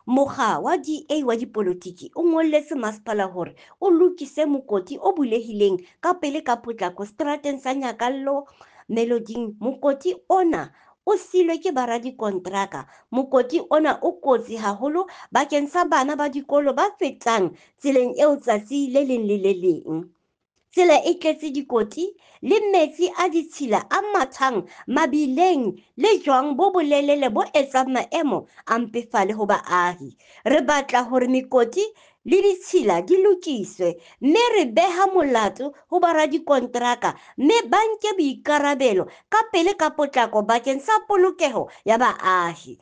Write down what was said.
Mokga wa DA wa dipolotiki o ngolletse masepala hore o lokise mokoti o bulehileng ka pele ka potlako seterateng sa Nyakallo Meloding. Mokoti ona o silwe ke baradikonteraka. Mokoti ona o kotsi haholo bakeng sa bana ba dikolo ba fetang tseleng eo tsatsi le leng le le leng. Tsela e tletse dikoti le metsi a ditshila a mathang mabileng le jwang bo bolelele bo etsang maemo a mpefale ho baahi. Re batla hore mekoti le ditshila di lokiswe mme re beha molato ho baradikonteraka mme ba nke boikarabelo ka pele ka potlako bakeng sa polokeho ya baahi.